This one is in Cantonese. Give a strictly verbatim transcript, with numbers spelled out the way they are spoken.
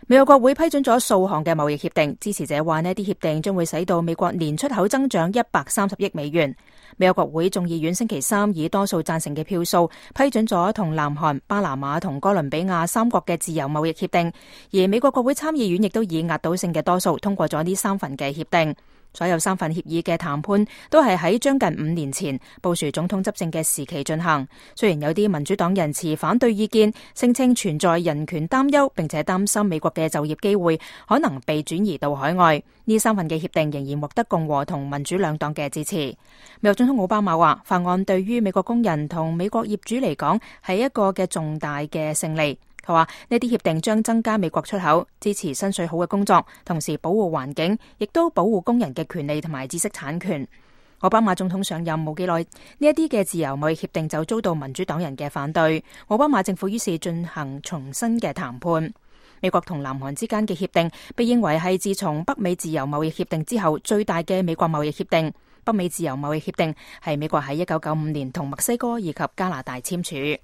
美國國會批准咗數項嘅貿易協定，支持者話呢啲協定將會使到美國年出口增長一百三十億美元。美國國會眾議院星期三以多數贊成嘅票數批准咗同南韓、巴拿馬同哥倫比亞三國嘅自由貿易協定，而美國國會參議院亦都以壓倒性嘅多數通過咗呢三份嘅協定。所有三份協議嘅談判都係喺將近五年前布殊總統執政嘅時期進行。雖然有啲民主黨人持反對意見，聲稱存在人權擔憂，並且擔心美國嘅就業機會可能被轉移到海外。呢三份嘅協定仍然獲得共和同民主兩黨嘅支持。美國總統奧巴馬話，法案對於美國工人同美國業主嚟講係一個嘅重大嘅勝利。佢話呢啲協定將增加美國出口，支持新稅好嘅工作，同時保護環境，亦都保護工人嘅權利同埋知識產權。奧巴馬總統上任冇幾耐，呢一啲嘅自由貿易協定就遭到民主黨人嘅反對。奧巴馬政府於是進行重新嘅談判。美國同南韓之間嘅協定被認為係自從北美自由貿易協定之後最大嘅美國貿易協定。北美自由貿易協定係美國喺一九九五年同墨西哥以及加拿大簽署。